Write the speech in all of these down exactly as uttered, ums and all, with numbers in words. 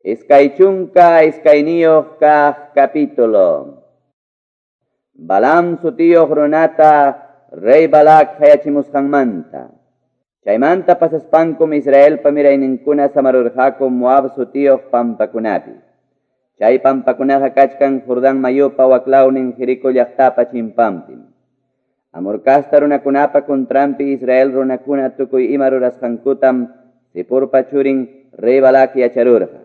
Iskay chunka iskayniyuq kaq capítulo. Balaam sutiyuq runata rey Balak hayachimusqanmanta. Chaymanta pasaspankum Israelpa mirayninkuna samarurqaku Moab sutiyuq pampakunapi. Chay pampakunaqa kachkan Jordán mayupa waklawnin Jericó llaqtapa chimpanpim. Amorcasta runakunapa contranpi Israel runakuna tukuy ima rurasqankutam Zipporpa churin rey Balak yacharurqa.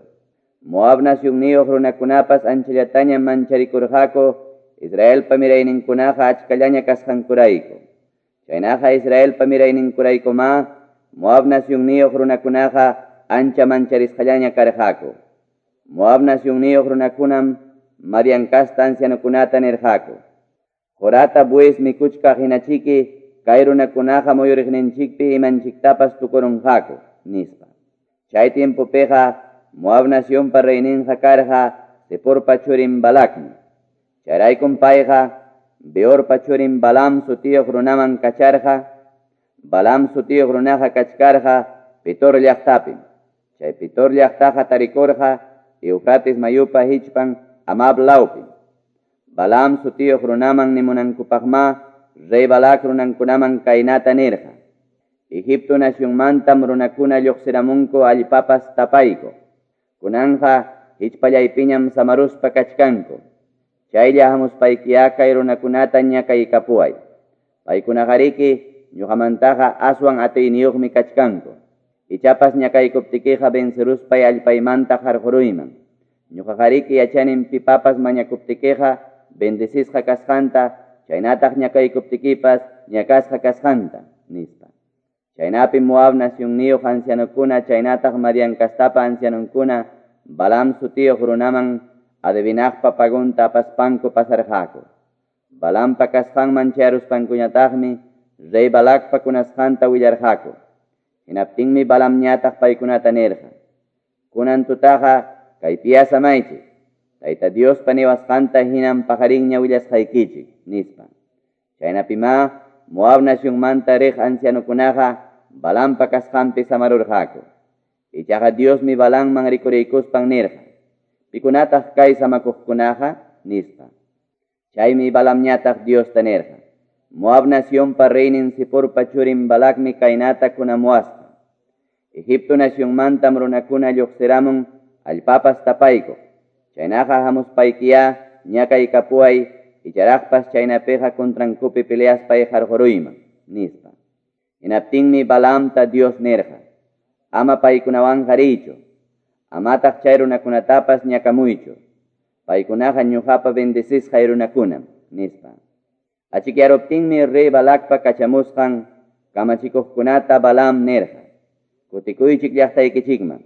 Moab nacionniyuq runakunapas anchallataña mancharikurqaku Israelpa mirayninkunaqa achkallaña kasqankurayku. Chaynaqa Israelpa mirayninkuraykumá Moab nacionniyuq runakunaqa ancha mancharisqallaña karqaku. Moab nacionniyuq runakunam Madian kasta ancianokunata nirqaku: Qurata bues mikuchkaq hinachiki kay runakunaqa muyuriqninchikpi imanchiktapas tukurunqaku, nispa. Chay tiempopiqa Moab nacionpa reyninqa karqa Zipporpa churin Balakmi. Chayraykum payqa Beorpa churin Balaam sutiyuq runaman kacharqa. Balaam sutiyuq runaqa kachkarqa Petor llaqtapim. Chay Petor llaqtaqa tarikurqa Eufrates mayupa hichpan Amab lawpim. Balaam sutiyuq runaman nimunankupaqma rey Balak runankunaman kaynata nirqa: Egipto nacionmantam runakuna lluqsiramunku allpapas tapayku. Kunanja hichpallaypiñam samaruspa kachkanku. Chaylla hamuspaykiya kay runakunata ñakaykapuway. Paykunaqariki ñuqamantaqa aswan atiyniyuqmi kachkanku. Ichapas ñakaykuptikiqa venceruspay allpaymanta qarquruyman. Ñuqaqariki yachanim pipapas mañakuptikiqa bendecisqa kasqanta, chaynataq ñakaykuptikipas ñakasqa kasqanta, nispa. Chaynapi Moab nacionniyuq ancianokuna chaynataq Madian kastapa ancianonkuna Balaam sutiyuq runaman adivinaqpa pagunta apaspanku pasarqaku. Balaampa kasqanman chayaruspankuñataqmi rey Balakpa kunasqanta willarqaku. Hinaptinmi Balaamñataq paykunata nirqa: Kunan tutaqa kaypiya samaychik, Tayta Diospa niwasqanta hinam paqarinña willasqaykichik, nispa. Chaynapimá Moab nacionmanta riq ancianokunaqa Balaampa kasqanpi samarurqaku. Ichaqa Diosmi Balaamman rikuriykuspan nirqa: Pikunataq kay samakuqkunaqa, nispa. Chaymi Balaamñataq Diosta nirqa: Moab nacionpa reynin Zipporpa churin Balakmi kaynata kunamuwasqa: Egipto nacionmantam runakuna lluqsiramun allpapas tapaykuq. Chaynaqa hamuspaykiya ñakaykapuway icharaqpas chaynapiqa contrankupi peleaspay qarquruyman, nispa. Hinaptinmi Balaamta Dios nirqa: Ama paykunawanqa riychu, amataq chay runakunatapas ñakamuychu. Paykunaqa ñuqapa bendecisqay runakunam, nispa. Achikyaruptinmi rey Balakpa kachamusqan kamachikuqkunata Balaam nirqa: Kutikuychik llaqtaykichikman.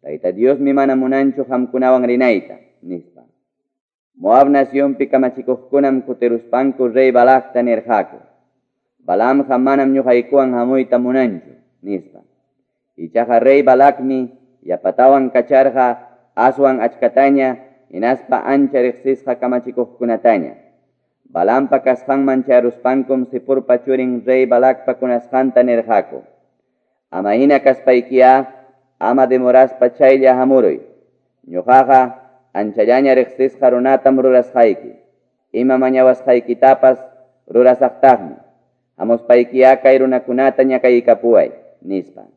Tayta Diosmi mana munanchu qamkunawan rinayta, nispa. Moab nacionpi kamachikuqkunam kutiruspanku rey Balakta nirqaku: Balaamqa manam ñuqaykuwan hamuyta munanchu, nispa. Ichaqa rey Balakmi yapatawan kacharqa aswan achkataña hinaspa ancha riqsisqa kamachikuqkunataña. Balaampa kasqanman chayaruspankum Zipporpa churin rey Balakpa kunasqanta nirqaku: Ama hina kaspaykiya ama demoraspa chaylla hamuruy. Ñuqaqa anchallaña riqsisqa runatam rurasqayki. Ima mañawasqaykitapas rurasaqtaqmi. Hamuspaykiya kay runakunata ñakaykapuway, nispa.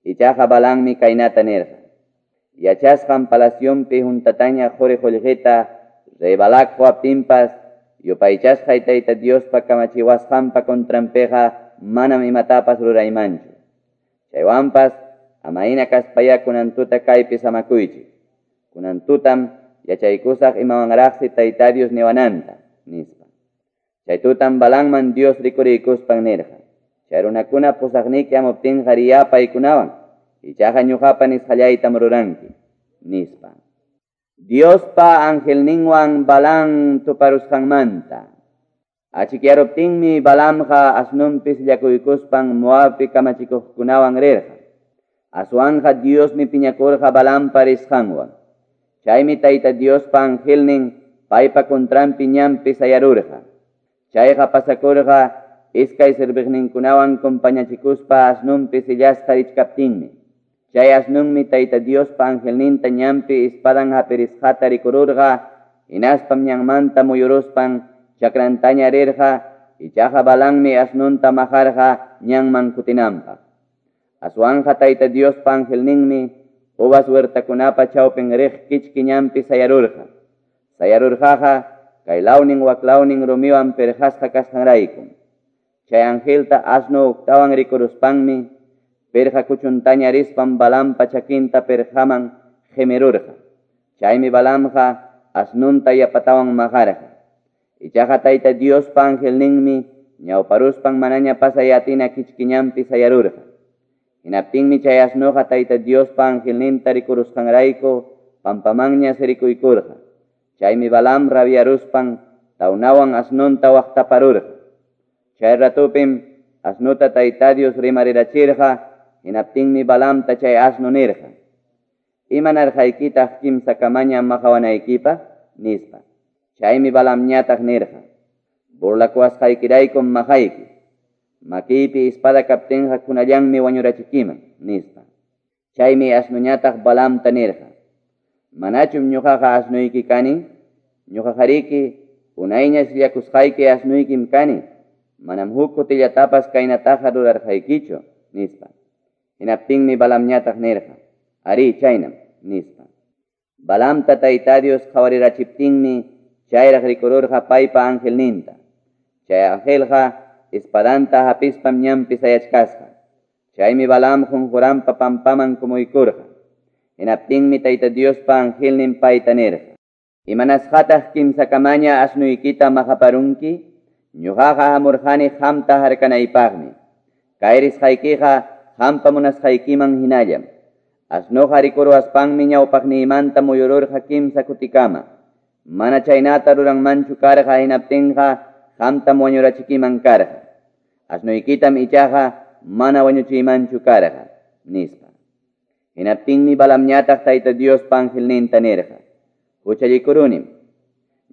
Ichaqa Balaammi kaynata nirqa: Yachasqan palacionpi juntataña quri qullqita rey Balak quwaptinpas yupaychasqay Tayta Diospa kamachiwasqanpa contranpiqa manam imatapas ruraymanchu. Chaywanpas ama hina kaspaya kunan tuta kaypi samakuychik. Kunan tutam yachaykusaq imawanraqsi Tayta Dios niwananta, nispa. Chay tutam Balaamman Dios rikuriykuspan nirqa: Chay runakuna pusaqniki hamuptinqa riya paykunawan, ichaqa ñuqapa nisqallaytam ruranki, nispa. Diospa angelninwan Balaam tuparusqanmanta. Achikyaruptinmi Balaamqa asnunpi sillakuykuspan Moabpi kamachikuqkunawan rirqa. Aswanqa Diosmi piñakurqa Balaampa risqanwan. Chaymi Tayta Diospa angelnin paypa contranpi ñanpi sayarurqa. Chayqa pasakurqa iskay serviqninkunawan compañachikuspa asnunpi sillasqa richkaptinmi. Chay asnunmi Tayta Diospa angelninta ñanpi espadan hapirisqata rikururqa, hinaspam ñanmanta muyuruspan chakrantaña rirqa, ichaqa Balaammi asnunta maqarqa ñanman kutinanpaq. Aswanja Tayta Diospa angelninmi uvas huertakunapa chawpin riq kichki ñanpi sayarurqa. Sayarurqaqa kay lawnin waklawnin rumiwan pirqasqa kasqanraykum. Chay angelta asno uktawan rikuruspanmi pirqa kuchuntaña rispan Balaampa chakinta pirqaman qimirurqa. Chaymi Balaamqa asnunta yapatawan maqarqa. Ichaqa Tayta Diospa angelninmi ñawparuspan manaña pasay atina kichki ñanpi sayarurqa. Hinaptinmi chay asnuqa Tayta Diospa angelninta rikurusqanrayku pampamanña sirikuykurqa. Chaymi Balaam rabiaruspan tawnawan asnunta waqtaparurqa. Chay ratupim asnuta Tayta Dios rimarirachirqa, hinaptinmi Balaamta chay asnu nirqa: "Imanarqaykitaq kimsa kamaña maqawanaykipaq?" nispa. Chaymi Balaamñataq nirqa: "Burlakuwasqaykiraykum maqayki. Makiypi espada kaptinqa kunallanmi wañurachikiman", nispa. Chaymi asnuñataq Balaamta nirqa: "Manachum ñuqaqa asnuyki kani? Ñuqaqariki unayña sillakusqayki asnuykim kani. Manam huk kutillatapas kaynataqa rurarqaykichu", nispa. Hinaptinmi Balaamñataq nirqa: "Arí, chaynam", nispa. Balaamta Tayta Dios qhawarirachiptinmi chayraq rikururqa paypa angelninta. Chay angelqa espadanta hapispam ñanpi sayachkasqa. Chaymi Balaam qunquranpa pampaman kumuykurqa. Hinaptinmi Tayta Diospa angelnin payta nirqa: "Imanasqataq kimsakamaña asnuykita maqaparunki? Ñuqaqa hamurqani qamta harkanaypaqmi. Kay risqaykiqa qampa munasqaykiman hinallam. Asnuqa rikuruwaspanmi ñawpaqniymanta muyururqa kimsa kutikama. Mana chaynata ruranmanchu karqa hinaptinqa qamtam wañurachikiman karqa. Asnuykitam ichaqa mana wañuchiymanchu karqa", nispa. Hinaptinmi Balaamñataq Tayta Diospa angelninta nirqa: "Huchallikurunim.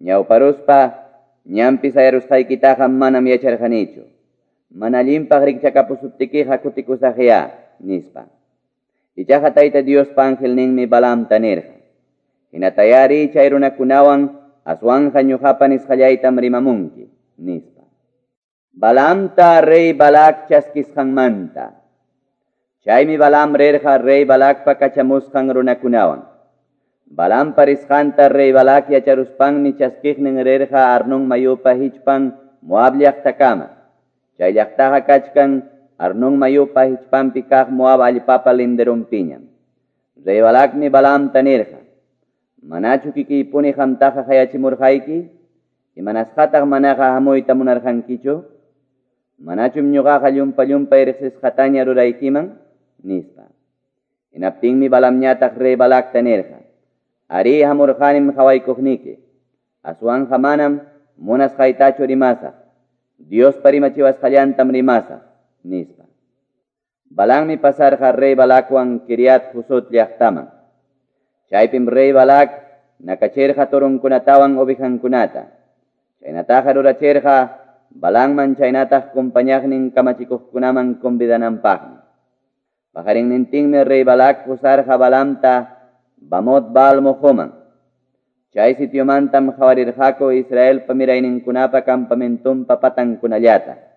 Ñawparuspa ñanpi sayarusqaykitaqa manam yacharqanichu. Mana allinpaq rikchakapusuptikiqa kutikusaqya", nispa. Ichaqa Tayta Diospa angelninmi Balaamta nirqa: "Hinatayari chay runakunawan aswanja ñuqapa nisqallaytam rimamunki", nispa. Balaamta rey Balak chaskisqanmanta. Chaymi Balaam rirqa rey Balakpa kachamusqan runakunawan. Balaampa risqanta rey Balak yacharuspanmi chaskiqnin rirqa Arnón mayupa hichpan Moab llaqtakama. Chay llaqtaqa kachkan Arnón mayupa hichpanpi kaq Moab allpapa linderunpiñam. Rey Balakmi Balaamta nirqa: "Manachu kikiypuni qamtaqa qayachimurqayki? Imanasqataq manaqa hamuyta munarqankichu? Manachum ñuqaqa llumpa-llumpay riqsisqataña ruraykiman?" nispa. Hinaptinmi Balaamñataq rey Balakta nirqa: "Arí, hamurqanim qhawaykuqniki. Aswanja manam munasqaytachu rimasaq. Diospa rimachiwasqallantam rimasaq", nispa. Balaammi pasarqa rey Balakwan Kiriat Husot llaqtaman. Chaypim rey Balak nakachirqa torunkunatawan ovejankunata. Chaynataqa rurachirqa Balaamman chaynataq compañaqnin kamachikuqkunaman convidananpaqmi. Paqarinnintinmi rey Balak pusarqa Balaamta Bamot Baal mojoman. Chay sitiomantam qhawarirqaku Israelpa mirayninkunapa campamentunpa patankunallata.